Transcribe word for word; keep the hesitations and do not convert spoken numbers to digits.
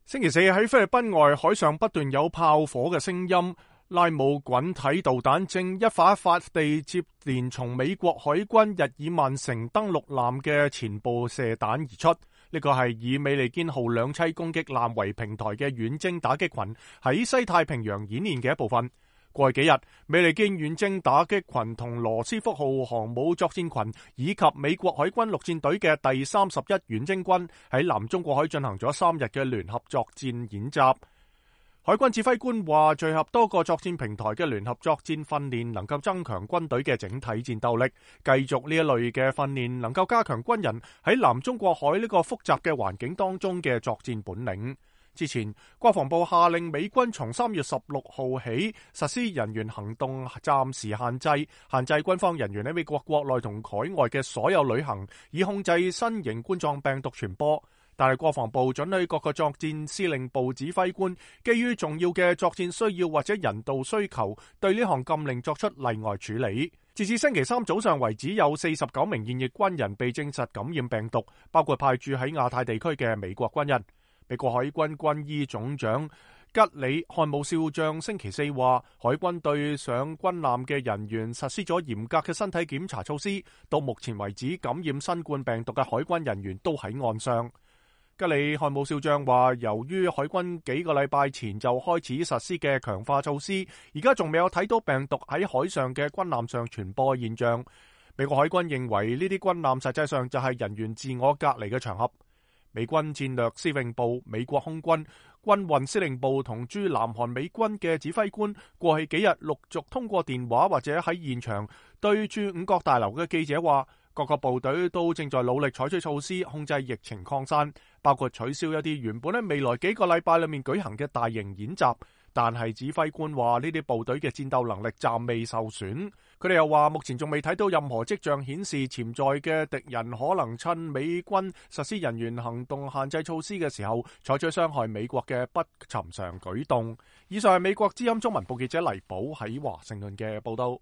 星期四喺菲律賓外海上不斷有炮火嘅聲音，拉姆滾體導彈正一發一發地接連從美國海軍日耳曼城登陸艦嘅前部射彈而出。呢個係以美利堅號兩棲攻擊艦為平台嘅遠征打擊群喺西太平洋演練嘅一部分。過去幾日，美利堅遠征打擊群同羅斯福號航母作戰群以及美國海軍陸戰隊嘅第三十一遠征軍喺南中國海進行咗三日嘅聯合作戰演習。海軍指揮官話，聚合多個作戰平台嘅聯合作戰訓練能夠增強軍隊嘅整體戰鬥力，繼續呢一類嘅訓練能夠加強軍人喺南中國海呢個複雜嘅環境當中嘅作戰本領。之前，國防部下令美軍從三月十六號起實施人員行動暫時限制，限制軍方人員喺美國國內同海外嘅所有旅行，以控制新型冠狀病毒傳播。但係國防部准許各個作戰司令部指揮官基於重要嘅作戰需要或者人道需求，對呢項禁令作出例外處理。截至星期三早上為止，有四十九名現役軍人被證實感染病毒，包括派駐喺亞太地區嘅美國軍人。美國海軍軍醫總長吉里漢姆少將星期四話，海軍對上軍艦嘅人員實施咗嚴格嘅身體檢查措施，到目前為止感染新冠病毒嘅海軍人員都喺岸上。吉里漢姆少將話，由於海軍幾個禮拜前就開始實施嘅強化措施，而家仲未有睇到病毒喺海上嘅軍艦上傳播嘅現象。美國海軍認為呢啲軍艦實際上就係人員自我隔離嘅場合。美軍戰略司令部、美國空軍、軍運司令部同駐南韓美軍嘅指揮官過去幾日陸續通過電話或者喺現場對駐五角大樓嘅記者話，各個部隊都正在努力採取措施控制疫情擴散，包括取消一啲原本喺未來幾個禮拜裏面舉行嘅大型演習。但係指揮官話呢啲部隊嘅戰鬥能力暫未受損。佢哋又話目前仲未睇到任何跡象顯示潛在嘅敵人可能趁美軍實施人員行動限制措施嘅時候採取傷害美國嘅不尋常舉動。以上係美國之音中文部記者黎寶喺華盛頓嘅報道。